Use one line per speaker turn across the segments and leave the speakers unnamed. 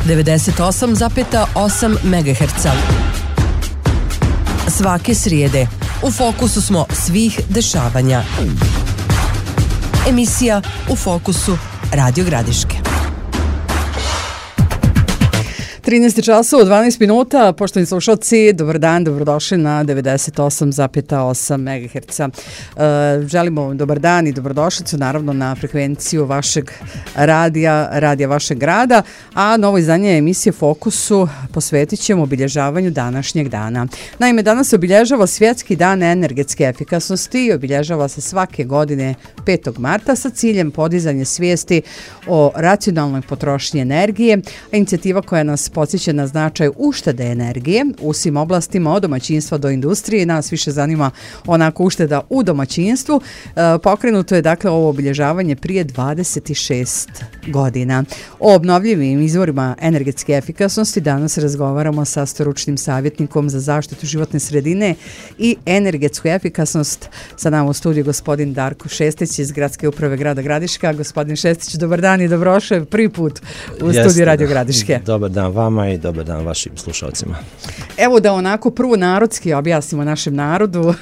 98,8 MHz. Svake srijede u fokusu smo svih dešavanja. Emisija U fokusu Radio Gradiške.
13 časova, 12 minuta, poštovani slušalci, dobar dan, dobrodošli na 98,8 MHz. Želimo dobar dan i dobrodošlicu, naravno, na frekvenciju vašeg radija vašeg grada, a novo izdanje emisije Fokusu posvetit ćemo obilježavanju današnjeg dana. Naime, danas se obilježava Svjetski dan energetske efikasnosti i obilježava se svake godine 5. marta sa ciljem podizanja svijesti o racionalnoj potrošnji energije, a inicijativa koja nas podsjeća na značaj uštede energije u svim oblastima od domaćinstva do industrije. Nas više zanima onako ušteda u domaćinstvu. Pokrenuto je dakle ovo obilježavanje prije 26 godina. O obnovljivim izvorima energetske efikasnosti danas razgovaramo sa stručnim savjetnikom za zaštitu životne sredine i energetsku efikasnost. Sa nama u studiju gospodin Darko Šestić iz Gradske uprave grada Gradiška. Gospodin Šestić, dobar dan i dobrodošao prvi put u studiju Radio Gradiške.
Dobar dan vama i dobar dan vašim slušalcima.
Evo da onako prvo narodski objasnimo našem narodu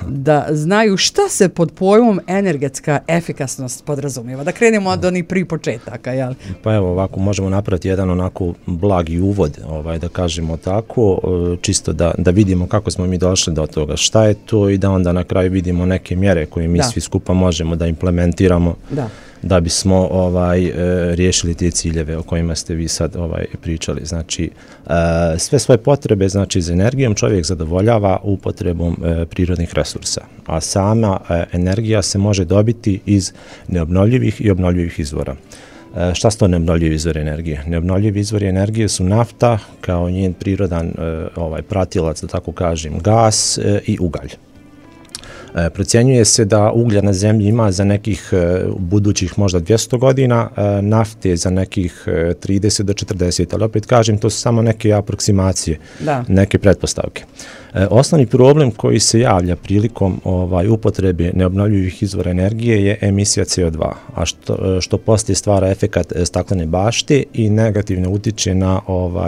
da znaju šta se pod pojmom energetska efikasnost podrazumijeva. Da krenemo od onih prvih početaka, jel?
Pa evo ovako možemo napraviti jedan onako blagi uvod, da kažemo tako, čisto da vidimo kako smo mi došli do toga, šta je to i da onda na kraju vidimo neke mjere koje mi svi skupa možemo da implementiramo. Da bismo riješili te ciljeve o kojima ste vi sad pričali. Znači, sve svoje potrebe za energijom čovjek zadovoljava upotrebom prirodnih resursa, a sama energija se može dobiti iz neobnovljivih i obnovljivih izvora. Šta su to neobnovljivi izvori energije? Neobnovljivi izvori energije su nafta kao njen prirodan pratilac, da tako kažem, gas i ugalj. Procjenjuje se da uglja na zemlji ima za nekih budućih možda 200 godina, nafte za nekih 30 do 40, ali opet kažem, to su samo neke aproksimacije, neke pretpostavke. Osnovni problem koji se javlja prilikom upotrebe neobnovljivih izvora energije je emisija CO2, a što poslije stvara efekat staklene bašte i negativno utiče na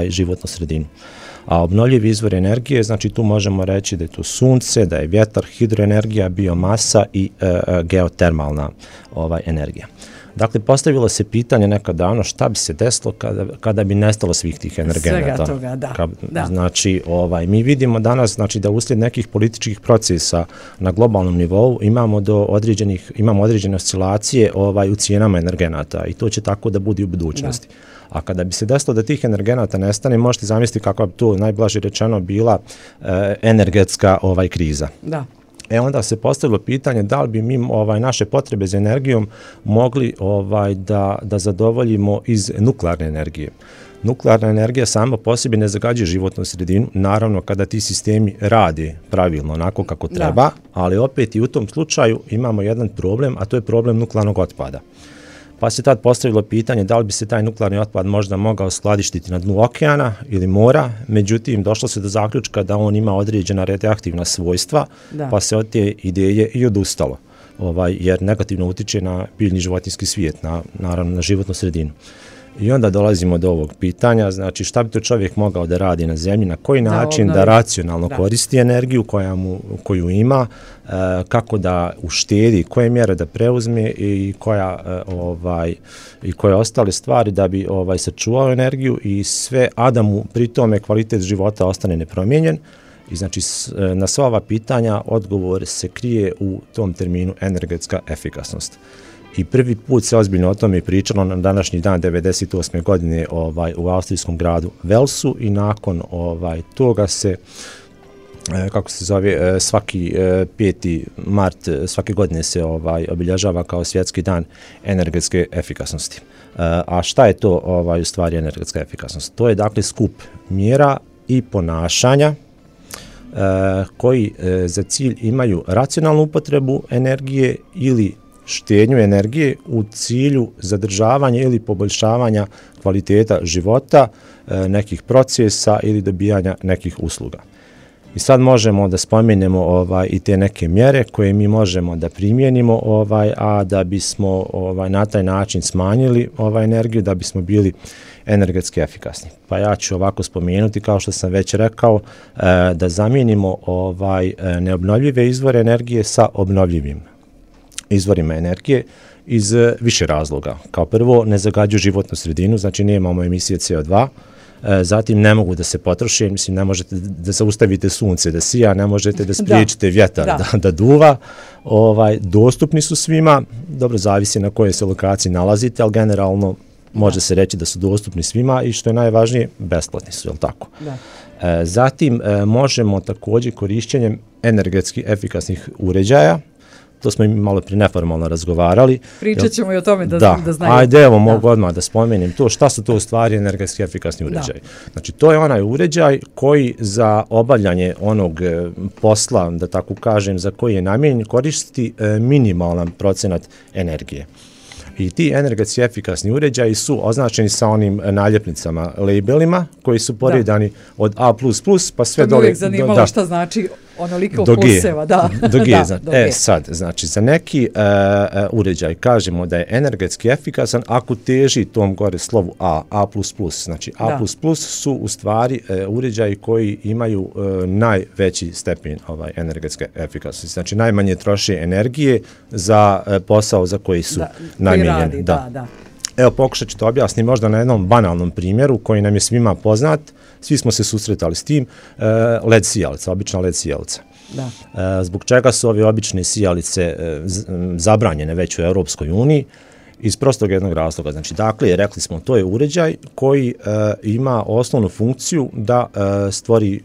životnu sredinu. A obnovljivi izvori energije, znači tu možemo reći da je tu sunce, da je vjetar, hidroenergija, biomasa i geotermalna energija. Dakle, postavilo se pitanje nekad davno šta bi se desilo kada bi nestalo svih tih energenata.
Svega toga,
Znači, mi vidimo danas da uslijed nekih političkih procesa na globalnom nivou imamo određene oscilacije u cijenama energenata i to će tako da bude u budućnosti. A kada bi se desilo da tih energenata nestane, možete zamisliti kakva bi to najblaže rečeno bila energetska kriza. Onda se postavilo pitanje da li bi mi naše potrebe za energijom mogli da zadovoljimo iz nuklearne energije. Nuklearna energija sama po sebi ne zagađuje životnu sredinu, naravno kada ti sistemi rade pravilno onako kako treba, ali opet i u tom slučaju imamo jedan problem, a to je problem nuklearnog otpada. Pa se tad postavilo pitanje da li bi se taj nuklearni otpad možda mogao skladištiti na dnu okeana ili mora, međutim došlo se do zaključka da on ima određena radioaktivna svojstva, pa se od te ideje i odustalo, jer negativno utiče na biljni životinjski svijet, naravno na životnu sredinu. I onda dolazimo do ovog pitanja, znači šta bi to čovjek mogao da radi na zemlji, na koji način da racionalno koristi energiju koju ima, kako da uštedi, koje mjere da preuzme i koje ostale stvari da bi sačuvao energiju i sve, a da mu pri tome kvalitet života ostane nepromijenjen. I znači na sva ova pitanja odgovor se krije u tom terminu energetska efikasnost. I prvi put se ozbiljno o tome pričalo na današnji dan 1998. godine u austrijskom gradu Velsu i nakon toga se, svaki 5. mart svake godine se obilježava kao Svjetski dan energetske efikasnosti. A šta je to u stvari energetska efikasnost? To je dakle skup mjera i ponašanja koji za cilj imaju racionalnu upotrebu energije ili štednju energije u cilju zadržavanja ili poboljšavanja kvaliteta života, nekih procesa ili dobijanja nekih usluga. I sad možemo da spomenemo i te neke mjere koje mi možemo da primijenimo, a da bismo na taj način smanjili energiju, da bismo bili energetski efikasni. Pa ja ću ovako spomenuti, kao što sam već rekao, da zamijenimo neobnovljive izvore energije sa obnovljivim izvorima energije iz više razloga. Kao prvo, ne zagađuju životnu sredinu, znači nemamo emisije CO2, zatim ne mogu da se potroše, mislim, ne možete da zaustavite sunce da sija, ne možete da spriječite vjetar da duva, dostupni su svima, dobro, zavisi na kojoj se lokaciji nalazite, ali generalno može se reći da su dostupni svima i što je najvažnije, besplatni su, je li tako?
Da.
Zatim, možemo također korišćenjem energetski efikasnih uređaja, to smo i malo prije neformalno razgovarali.
Pričat ćemo i o tome da znaju.
Ajde, evo, mogu odmah da spomenem to. Šta su to u stvari energetski efikasni uređaji? Znači, to je onaj uređaj koji za obavljanje onog posla, da tako kažem, za koji je namijenjen, koristi minimalan procenat energije. I ti energetski efikasni uređaji su označeni sa onim naljepnicama, labelima, koji su poredani od A++, pa sve dole. To mi
uvijek zanimalo šta znači onoliko pluseva.
Do G. Sad, znači, za neki uređaj kažemo da je energetski efikasan ako teži tom gore slovu A++. Znači, A++ su u stvari uređaji koji imaju najveći stepen energetske efikasnosti. Znači, najmanje troše energije za posao za koji su namijenjeni. Da. Evo, pokušat ću to objasniti možda na jednom banalnom primjeru koji nam je svima poznat. Svi smo se susretali s tim, LED sijalica, obična LED sijalica. Zbog čega su ove obične sijalice zabranjene već u Europskoj uniji? Iz prostog jednog razloga. Znači, dakle, rekli smo, to je uređaj koji ima osnovnu funkciju da stvori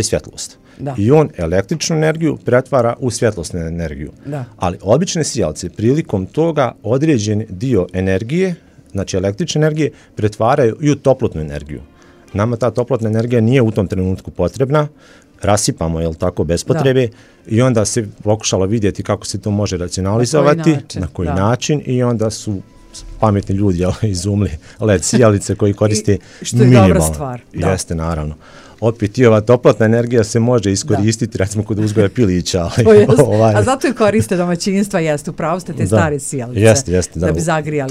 svjetlost. I on električnu energiju pretvara u svjetlosnu energiju. Ali obične sijalice prilikom toga određen dio energije, znači električne energije, pretvaraju i u toplotnu energiju. Nama ta toplotna energija nije u tom trenutku potrebna, rasipamo, jel tako, bez potrebe, i onda se pokušalo vidjeti kako se to može racionalizovati, na koji način, i onda su pametni ljudi izumili LED sijalice koji koriste minimalno.
Dobra stvar.
Jeste, naravno. Opet i ova toplotna energija se može iskoristiti, recimo kod uzgoja pilića.
A zato i koriste domaćinstva, jeste, upravo ste te stare sijalice, da bi zagrijali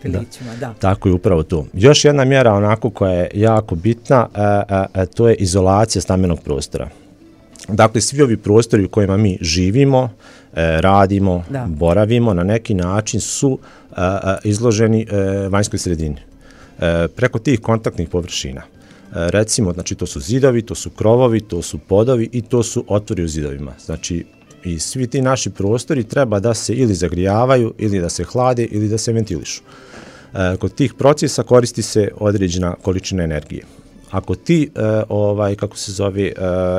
pilićima.
Tako je, upravo to. Još jedna mjera onako koja je jako bitna, to je izolacija stambenog prostora. Dakle, svi ovi prostori u kojima mi živimo, radimo, boravimo, na neki način su izloženi vanjskoj sredini. Preko tih kontaktnih površina. Recimo, znači, to su zidovi, to su krovovi, to su podovi i to su otvori u zidovima. Znači, i svi ti naši prostori treba da se ili zagrijavaju, ili da se hlade, ili da se ventilišu. Kod tih procesa koristi se određena količina energije. Ako ti,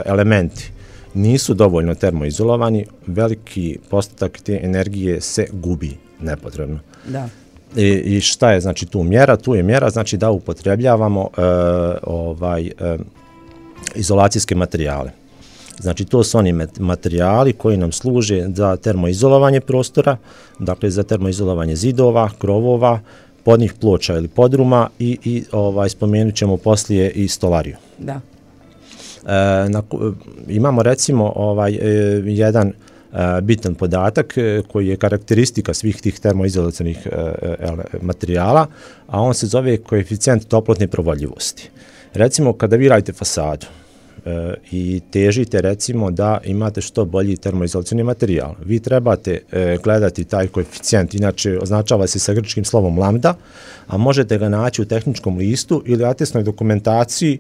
elementi nisu dovoljno termoizolovani, veliki postotak te energije se gubi nepotrebno.
Da.
I šta je, znači, tu mjera? Tu je mjera, znači, da upotrebljavamo izolacijske materijale. Znači, to su oni materijali koji nam služe za termoizolovanje prostora, dakle, za termoizolovanje zidova, krovova, podnih ploča ili podruma i spomenut ćemo poslije i stolariju.
Da.
Imamo, recimo, jedan bitan podatak koji je karakteristika svih tih termoizolacionih materijala, a on se zove koeficijent toplotne provodljivosti. Recimo, kada vi radite fasadu i težite, recimo, da imate što bolji termoizolacioni materijal, vi trebate gledati taj koeficijent, inače označava se sa grčkim slovom lambda, a možete ga naći u tehničkom listu ili atestnoj dokumentaciji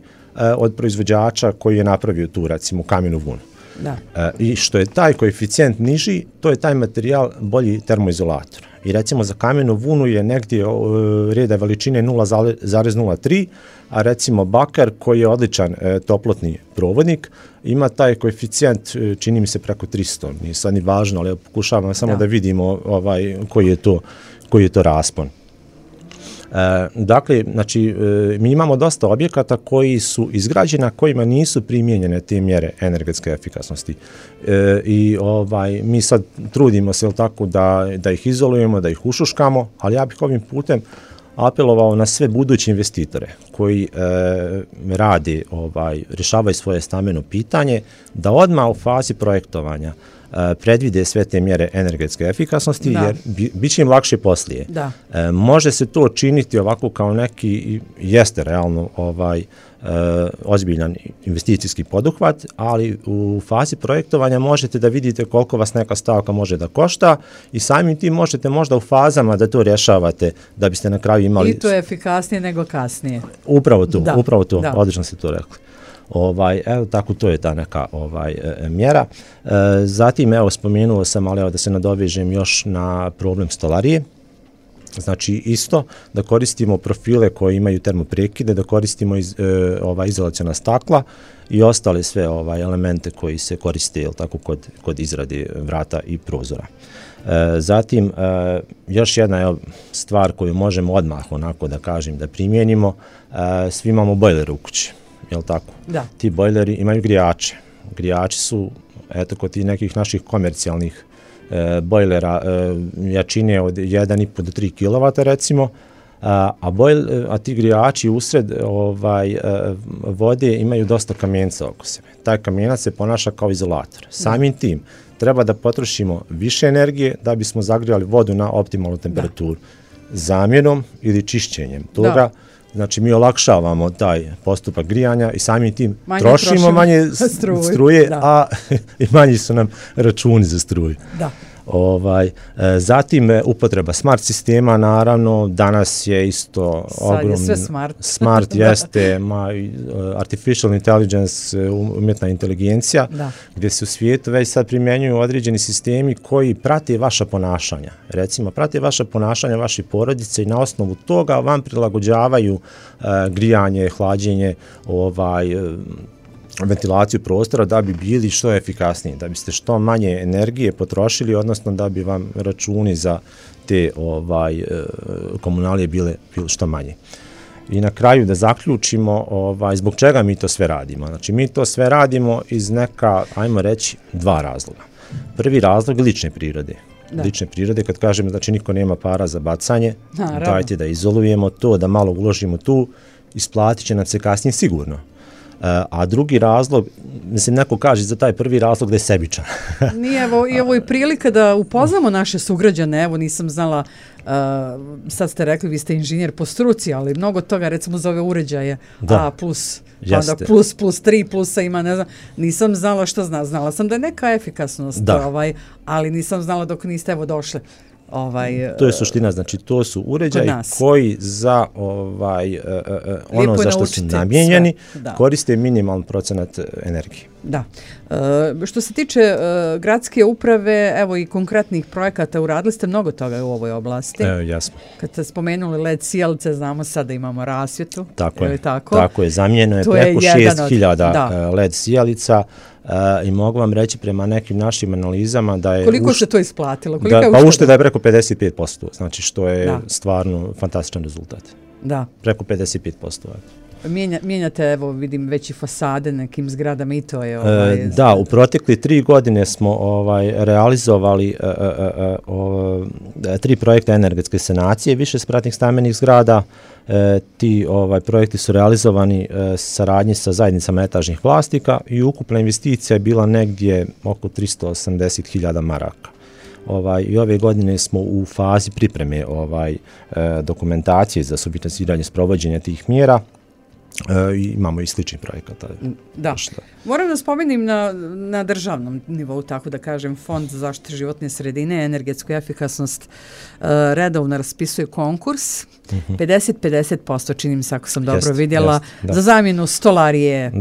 od proizvođača koji je napravio tu, recimo, kamenu vunu. I što je taj koeficijent niži, to je taj materijal bolji termoizolator. I recimo za kamenu vunu je negdje reda veličine 0,03, a recimo bakar koji je odličan toplotni provodnik ima taj koeficijent, čini mi se, preko 300. Nije sad ni važno, ali pokušavamo samo da vidimo koji je to raspon. Dakle, znači, mi imamo dosta objekata koji su izgrađeni, a kojima nisu primijenjene te mjere energetske efikasnosti. I mi sad trudimo se tako da ih izolujemo, da ih ušuškamo, ali ja bih ovim putem apelovao na sve buduće investitore koji rade, rješavaju svoje stambeno pitanje, da odmah u fazi projektovanja predvide sve te mjere energetske efikasnosti, jer bit će im lakše poslije. Može se to činiti ovako kao neki, jeste realno ozbiljan investicijski poduhvat, ali u fazi projektovanja možete da vidite koliko vas neka stavka može da košta i samim tim možete možda u fazama da to rješavate da biste na kraju imali...
I to je efikasnije nego kasnije.
Upravo to, odlično ste to rekli. Evo tako, to je ta neka mjera. Zatim, evo, spomenuo sam, ali evo da se nadovežem još na problem stolarije. Znači isto da koristimo profile koji imaju termoprekide, da koristimo izolaciona stakla i ostale sve elemente koji se koriste tako kod izrade vrata i prozora. Zatim još jedna stvar koju možemo odmah onako da kažem da primijenimo, svi imamo bojlere u kući, jel tako?
Da.
Ti bojleri imaju grijače. Grijači su eto kod tih nekih naših komercijalnih bojlera jačine od 1,5 do 3 kW recimo, a ti grijači usred vode imaju dosta kamenca oko sebe. Taj kamenac se ponaša kao izolator. Samim tim treba da potrošimo više energije da bismo zagrijali vodu na optimalnu temperaturu. Zamjenom ili čišćenjem toga, znači mi olakšavamo taj postupak grijanja i samim tim trošimo manje struje, a i manji su nam računi za struju.
Da.
Zatim upotreba smart sistema, naravno, danas je isto ogromno.
Sad je sve smart.
Smart jeste, artificial intelligence, umjetna inteligencija, gdje se u svijetu već sad primjenjuju određeni sistemi koji prate vaša ponašanja. Recimo, prate vaša ponašanja, vaše porodice i na osnovu toga vam prilagođavaju grijanje, hlađenje, ventilaciju prostora da bi bili što efikasniji, da biste što manje energije potrošili, odnosno da bi vam računi za te komunalije bile što manje. I na kraju da zaključimo zbog čega mi to sve radimo. Znači mi to sve radimo iz neka, ajmo reći, dva razloga. Prvi razlog je lične prirode. Lične prirode, kad kažemo znači niko nema para za bacanje, dajte da izolujemo to, da malo uložimo tu, isplatit će nam se kasnije sigurno. A drugi razlog, mislim, neko kaže za taj prvi razlog da je sebičan.
Nije, evo i prilika da upoznamo naše sugrađane, evo nisam znala, sad ste rekli, vi ste inženjer po struci, ali mnogo toga, recimo za ove uređaje, A+, onda plus 3 plusa ima, ne znam, nisam znala što znala sam da je neka efikasnost, ali nisam znala dok niste evo došli.
To je suština, znači to su uređaji koji za ono za što su namijenjeni koriste minimalan procenat energije.
Da. Što se tiče gradske uprave, evo i konkretnih projekata, uradili ste mnogo toga u ovoj oblasti.
Jasno.
Kad ste spomenuli LED sjelice, znamo sad da imamo rasvjetu.
Tako je, zamijenjeno je preko 6000 LED sjelica. I mogu vam reći prema nekim našim analizama da je...
Koliko se to isplatilo?
Pa ušteda je preko 55%, znači što je stvarno fantastičan rezultat.
Da.
Preko 55%.
Mijenjate, evo vidim, već i fasade nekim zgradama i to je...
Da, u protekli 3 godine smo realizovali 3 projekta energetske sanacije višespratnih stambenih zgrada. Ti projekti su realizovani saradnji sa zajednicama etažnih vlasnika i ukupna investicija je bila negdje oko 380.000 maraka. I ove godine smo u fazi pripreme dokumentacije za sufinansiranje sprovođenja tih mjera. Imamo i sličnih projekata.
Da. Moram da spomenim na državnom nivou, tako da kažem, Fond za zaštitu životne sredine, energetsku efikasnost redovno raspisuje konkurs. 50-50%, čini mi se, ako sam dobro vidjela, za zamjenu stolarije,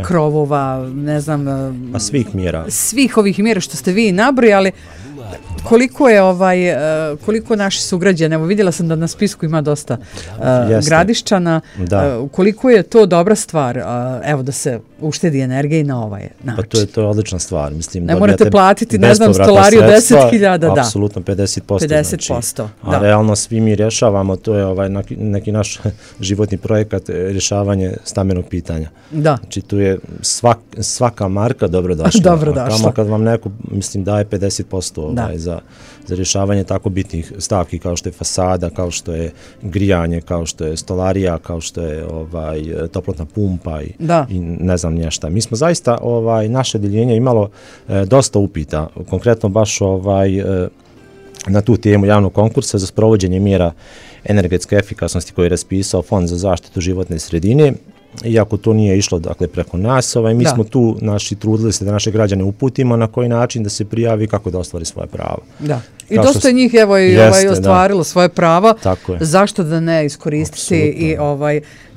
krovova, ne znam...
A svih mjera.
Svih ovih mjera što ste vi nabrojali. Koliko naši sugrađani, evo vidjela sam da na spisku ima dosta Gradišćana, koliko je to dobra stvar, evo da se uštedi energije i na ovaj način.
Pa to je odlična stvar, mislim.
Ne morate platiti, ne znam, stolariju 10.000,
apsolutno 50%.
50%,
a realno svi mi rješavamo, to je neki naš životni projekat, rješavanje stambenog pitanja.
Da.
Znači tu je svaka marka dobrodošla.
Dobrodošla.
Tamo kad vam neko, mislim, daje 50% za za rješavanje tako bitnih stavki kao što je fasada, kao što je grijanje, kao što je stolarija, kao što je toplotna pumpa i ne znam nješta. Mi smo zaista, naše odjeljenje imalo dosta upita, konkretno baš na tu temu javnog konkursa za sprovođenje mjera energetske efikasnosti koje je raspisao Fond za zaštitu životne sredine. Iako to nije išlo preko nas, mi smo tu trudili se da naše građane uputimo na koji način da se prijavi, kako da ostvari svoje pravo.
Da. I dosta je njih ostvarilo svoje prava. Zašto da ne iskoristiti i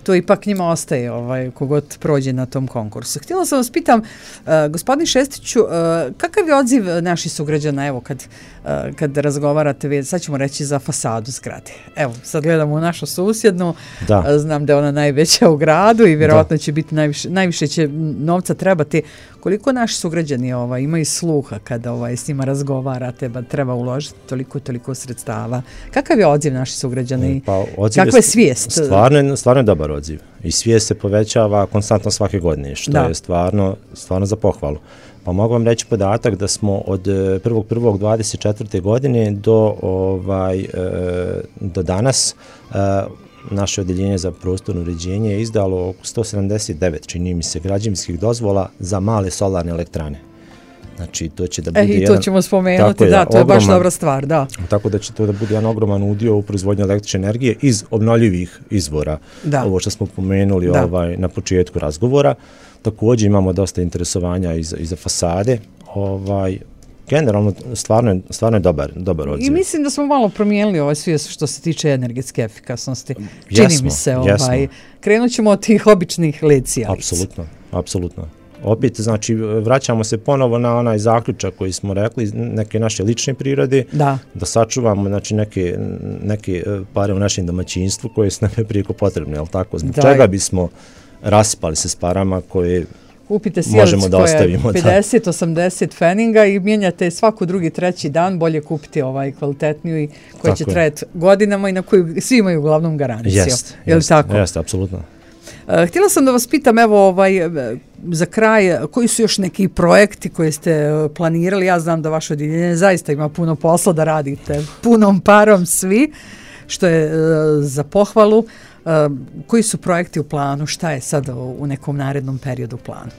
to ipak njima ostaje kogod prođe na tom konkursu. Htjela sam vas pitam, gospodin Šestiću, kakav je odziv naših sugrađana, evo kad razgovarate, sad ćemo reći za fasadu zgrade. Evo, sad gledamo u našu susjednu, znam da je ona najveća u gradu i vjerojatno će biti najviše će novca trebati. Koliko naši sugrađani imaju sluha kada s njima razgovarate, treba uložiti toliko sredstava? Kakav je odziv naših sugrađana i kakva je svijest?
Stvarno je dobar odziv. I svijest se povećava konstantno svake godine, što je stvarno za pohvalu. Pa mogu vam reći podatak da smo od 1.1.24. godine do danas naše odjeljenje za prostorno uređenje je izdalo oko 179, čini mi se, građevinskih dozvola za male solarne elektrane. Znači, to će da bude
i to ćemo spomenuti, to je baš dobra stvar, da.
Tako da će to da bude jedan ogroman udio u proizvodnji električne energije iz obnovljivih izvora. Ovo što smo pomenuli na početku razgovora. Također imamo dosta interesovanja i za fasade. Generalno, stvarno je dobar odziv.
I mislim da smo malo promijenili svijest što se tiče energetske efikasnosti. Čini mi se, krenut ćemo od tih običnih LED sjelica.
Apsolutno. Opet, znači, vraćamo se ponovo na onaj zaključak koji smo rekli, neke naše lične prirode, da sačuvamo neke pare u našem domaćinstvu koje su nam prijeko potrebne, jel tako? Zbog čega bismo raspali se s parama koje
kupite sjelicu koja je 50-80 feninga i mijenjate svaku drugi, treći dan, bolje kupiti kvalitetniju i koja će trajati godinama i na koju svi imaju uglavnom garanciju.
Jeste, apsolutno.
Htjela sam da vas pitam, evo, za kraj, koji su još neki projekti koje ste planirali? Ja znam da vaše odjeljenje zaista ima puno posla, da radite punom parom svi, što je za pohvalu. Koji su projekti u planu? Šta je sad u nekom narednom periodu u planu?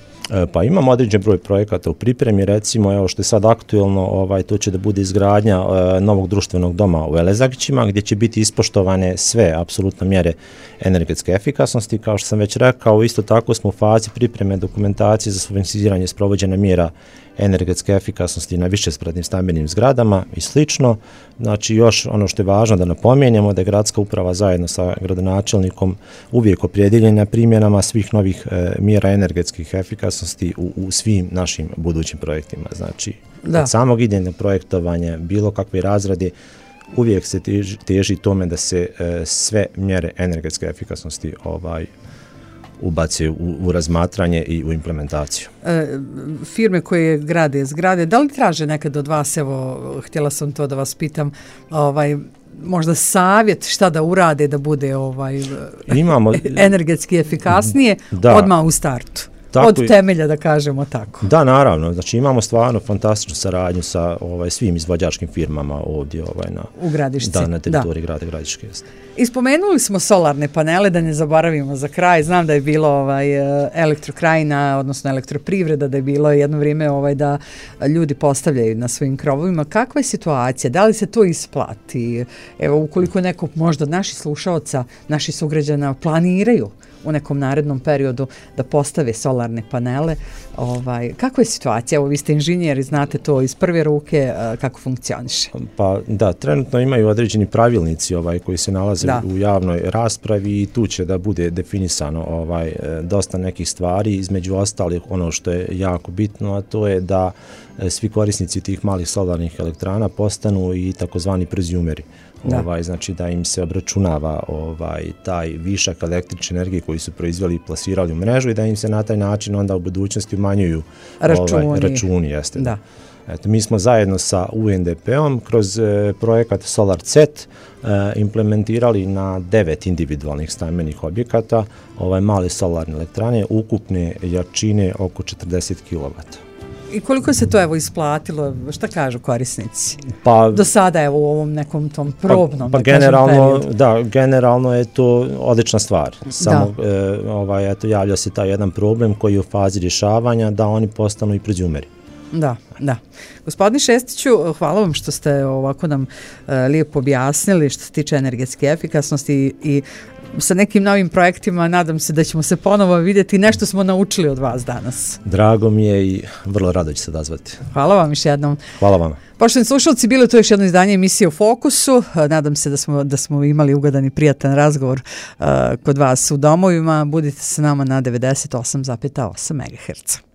Pa imamo određen broj projekata u pripremi, recimo evo što je sad aktuelno, to će da bude izgradnja novog društvenog doma u Elezagićima gdje će biti ispoštovane sve apsolutno mjere energetske efikasnosti. Kao što sam već rekao, isto tako smo u fazi pripreme dokumentacije za sufinansiranje sprovođenja mjera energetske efikasnosti na višespratnim stambenim zgradama i slično. Znači još ono što je važno da napomenemo da je gradska uprava zajedno sa gradonačelnikom uvijek opredjeljena primjenama svih novih mjera energetskih efikasnosti u svim našim budućim projektima. Znači od samog idejnog projektovanja, bilo kakve razrade, uvijek se teži tome da se sve mjere energetske efikasnosti ubaci u razmatranje i u implementaciju.
Firme koje grade zgrade, da li traže nekad od vas, evo, htjela sam to da vas pitam, možda savjet šta da urade da bude
imamo
energetski efikasnije odmah u startu? Od temelja, da kažemo tako.
Da, naravno. Znači imamo stvarno fantastičnu saradnju sa svim izvođačkim firmama ovdje
u Gradišci.
Na teritoriji grada Gradiške.
I spomenuli smo solarne panele, da ne zaboravimo za kraj. Znam da je bilo Elektrokrajina, odnosno Elektroprivreda, da je bilo jedno vrijeme da ljudi postavljaju na svojim krovovima. Kakva je situacija? Da li se to isplati? Evo, ukoliko neko možda od naših slušaoca, naših sugrađana planiraju u nekom narednom periodu da postave solarne panele. Kakva je situacija? Evo, vi ste inženjeri, znate to iz prve ruke, kako funkcioniše?
Pa da, trenutno imaju određeni pravilnici koji se nalaze u javnoj raspravi i tu će da bude definisano dosta nekih stvari, između ostalih ono što je jako bitno, a to je da svi korisnici tih malih solarnih elektrana postanu i takozvani prezumeri. Znači da im se obračunava taj višak električne energije koji su proizveli i plasirali u mrežu i da im se na taj način onda u budućnosti umanjuju računi. Jeste. Da. Eto, mi smo zajedno sa UNDP-om kroz projekat SolarCET implementirali na 9 individualnih stambenih objekata male solarne elektrane ukupne jačine oko 40 kW.
I koliko se to evo isplatilo, šta kažu korisnici?
Pa,
do sada evo u ovom nekom tom probnom
generalno je to odlična stvar. Samo eto, javlja se taj jedan problem koji je u fazi rješavanja da oni postanu i prezumeri.
Da. Gospodine Šestiću, hvala vam što ste ovako nam lijepo objasnili što se tiče energetske efikasnosti i sa nekim novim projektima nadam se da ćemo se ponovo vidjeti. Nešto smo naučili od vas danas.
Drago mi je i vrlo rado ću se odazvati.
Hvala vam još jednom.
Hvala vam.
Poštovani slušalci, bilo je to još jedno izdanje emisije U fokusu. Nadam se da smo imali ugodan i prijatan razgovor kod vas u domovima. Budite sa nama na 98,8 MHz.